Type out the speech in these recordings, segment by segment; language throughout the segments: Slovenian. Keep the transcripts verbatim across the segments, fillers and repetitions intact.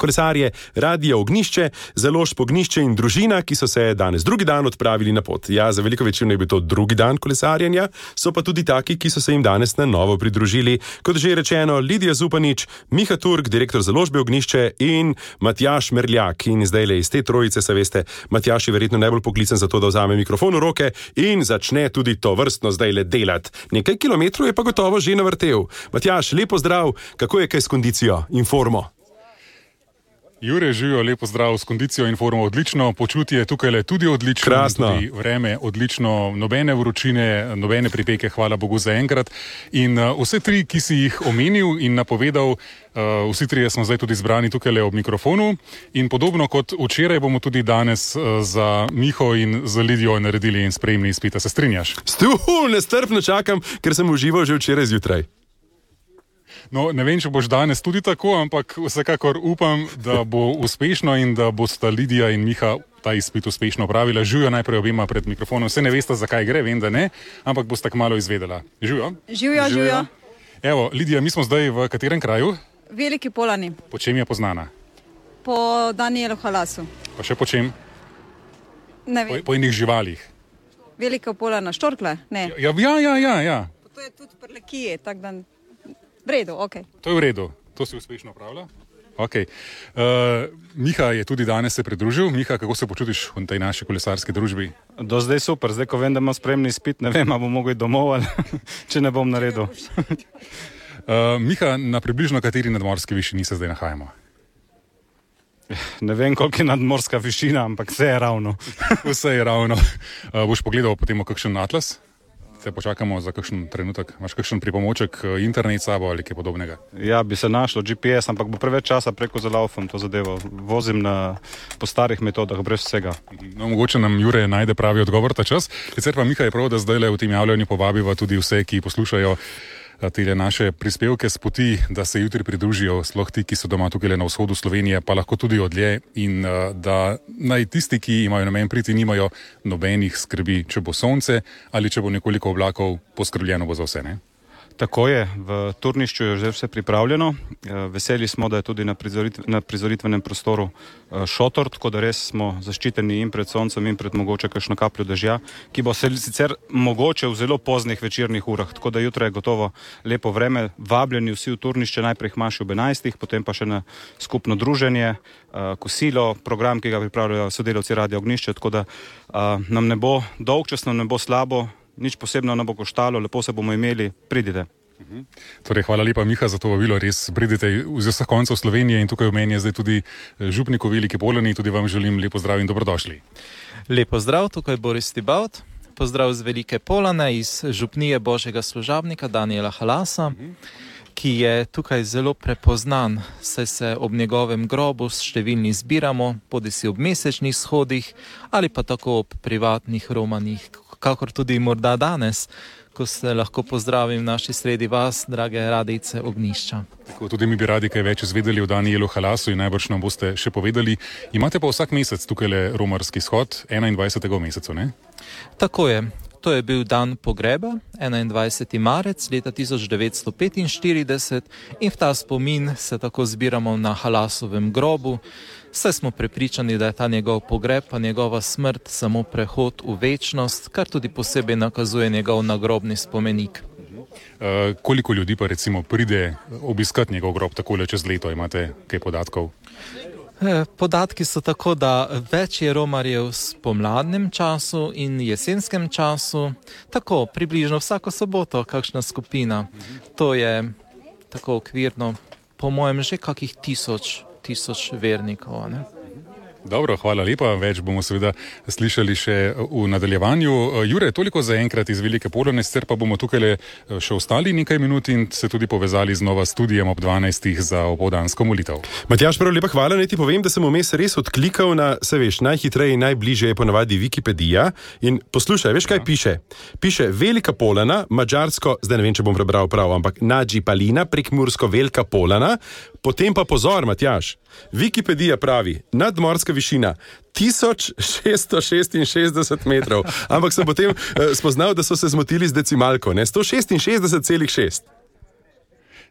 kolesarje Radia Ognjišče, Založb Ognjišče in družina, ki so se danes drugi dan odpravili na pot. Ja, za veliko večino je bil to drugi dan kolesarjenja, so pa tudi taki, ki so se jim danes na novo pridružili. Kot že rečeno, Lidija Zupanič, Miha Turk, direktor Založbe Ognjišče in Matjaž Merljak. In zdajle iz te trojice, se veste, Matjaž je verjetno najbolj poklican za to, da vzame mikrofon v roke in začne tudi to vrstno zdajle delati. Nekaj kilometrov je pa gotovo že navrtel. Matjaž, lepo zdrav, kako je kaj s kondicijo in formo? Jure, živijo, lepo zdrav, s kondicijo in formo odlično, počutje tukaj je tudi odlično, krasno. Tudi vreme odlično, nobene vročine, nobene pripeke, hvala Bogu za enkrat. In uh, vse tri, ki si jih omenil in napovedal, uh, vsi trije smo zdaj tudi zbrani tukaj ob mikrofonu in podobno kot včeraj bomo tudi danes uh, za Miho in za Lidijo naredili in sprejemni izpit. Se strinjaš? Stuhu, nestrpno čakam, ker sem užival že včeraj zjutraj. No, ne vem, če boš danes tudi tako, ampak vsekakor upam, da bo uspešno in da bosta Lidija in Miha ta izpit uspešno opravila. Živijo najprej obema pred mikrofonom. Vse ne veste, zakaj gre, vem, da ne, ampak boste kmalo izvedela. Živijo? Živijo, živijo. Evo, Lidija, mi smo zdaj v katerem kraju? Veliki Polani. Po čem je poznana? Po Danijelu Halasu. Pa še po čem? Ne vem. Po, po enih živalih. Velika Polana, štorkle? Ne. Ja, ja, ja, ja. ja. To je tudi prlekije, tak dan. V redu, ok. To je v redu, to si uspešno opravlja. Okay. Uh, Miha je tudi danes se pridružil. Miha, kako se počutiš v tej naši kolesarski družbi? Do zdaj super, zdaj ko vem, da imam spremni izpit, ne vem, ali bom mogel domov ali če ne bom naredil. uh, Miha, na približno kateri nadmorski višini se zdaj nahajamo? Ne vem, koliko je nadmorska višina, ampak vse je ravno. Vse je ravno. Uh, boš pogledal potem kakšen atlas? Se počakamo za kakšen trenutek. Imaš kakšen pripomoček, internet sabo ali kaj podobnega? Ja, bi se našlo G P S, ampak bo preveč časa preko zalaufam to zadevo. Vozim na, po starih metodah, brez vsega. No, mogoče nam Jure najde pravi odgovor ta čas. Sicer pa Miha je prav, da zdaj v tem javljanju povabiva tudi vse, ki poslušajo tele naše prispevke s poti, da se jutri pridružijo, sploh ti, ki so doma tukaj na vzhodu Slovenije, pa lahko tudi odlje in da naj tisti, ki imajo namen priti, nimajo nobenih skrbi, če bo sonce ali če bo nekoliko oblakov, poskrbljeno bo za vse, ne? Tako je, v turnišču je že vse pripravljeno. Veseli smo, da je tudi na, prizoritv na prizoritvenem prostoru šotor, tako da res smo zaščiteni in pred soncem in pred mogoče kakšno kapljo dežja, ki bo se sicer mogoče v zelo poznih večernih urah, tako da jutra je gotovo lepo vreme. Vabljeni vsi v turnišče, najprej hmaši ob enajstih, potem pa še na skupno druženje, kosilo, program, ki ga pripravljajo sodelavci Radia Ognjišče, tako da nam ne bo dolgčas, nam ne bo slabo, nič posebno ne bo koštalo, lepo se bomo imeli, pridite. Uh-huh. Torej, hvala lepa, Miha, za to vabilo, res pridite z vseh koncev Slovenije in tukaj v meni je zdaj tudi župnik v Veliki Polani, tudi vam želim lepo zdrav in dobrodošli. Lepo zdrav, tukaj Boris Tibalt, pozdrav z Velike Polane, iz župnije Božjega služabnika Danijela Halasa, uh-huh. ki je tukaj zelo prepoznan, saj se ob njegovem grobu številni zbiramo, bodisi ob mesečnih shodih ali pa tako ob privatnih romanjih, kakor tudi morda danes, ko se lahko pozdravim v naši sredi vas, drage radijce Ognjišča. Tako, tudi mi bi radi kaj več izvedeli o Danijelu Halasu in najbrž nam boste še povedali. Imate pa vsak mesec tukaj le romarski shod, enaindvajsetega v mesecu, ne? Tako je. To je bil dan pogreba, enaindvajseti marec leta tisoč devetsto petinštirideset in v ta spomin se tako zbiramo na Halasovem grobu, saj smo prepričani, da je ta njegov pogreb pa njegova smrt samo prehod v večnost, kar tudi posebej nakazuje njegov nagrobni spomenik. Uh, koliko ljudi pa recimo pride obiskat njegov grob takole čez leto, imate kaj podatkov? Podatki so tako, da več je romarjev v pomladnem času in jesenskem času, tako približno vsako soboto kakšna skupina. To je tako okvirno, po mojem, že kakih tisoč, tisoč vernikov, ne? Dobro, hvala lepa. Več bomo seveda slišali še v nadaljevanju. Jure, toliko za enkrat iz Velike Polane, sicer pa bomo tukaj še ostali nekaj minut in se tudi povezali znova s studijem ob dvanajstih za opoldansko molitev. Matjaž, prav lepa hvala, naj ti povem, da sem vmes res odklikal na, se veš, najhitreje in najbližje je ponavadi Wikipedija in poslušaj, veš kaj ja. piše? Piše Velika Polana, madžarsko, zdaj ne vem, če bom prebral prav, ampak Nadži Palina, prekmursko Velika Polana, potem pa pozor, Matjaž, Wikipedija pravi, nadmorska višina tisoč šeststo šestinšestdeset metrov, ampak sem potem uh, spoznal, da so se zmotili z decimalko, ne, sto šestinšestdeset celih šest.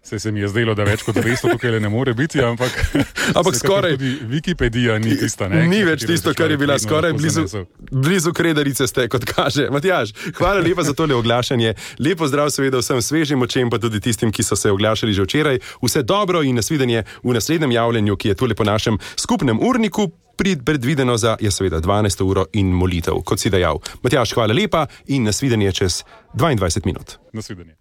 Se, se mi je zdelo, da več kot dvesto tukaj ne more biti, ampak, ampak skoraj. Tudi Wikipedija ni tista, ne? Ni več tisto, kar je bila skoraj blizu, blizu Kredarice ste, kot kaže. Matjaž, hvala lepa za tole oglašanje. Lepo zdrav seveda vsem svežim očem, pa tudi tistim, ki so se oglašali že včeraj. Vse dobro in nasvidenje v naslednjem javljenju, ki je tole po našem skupnem urniku predvideno za, je seveda, dvanajsto uro in molitev, kot si dejal. Matjaž, hvala lepa in nasvidenje čez dvaindvajset minut. Nasvidenje.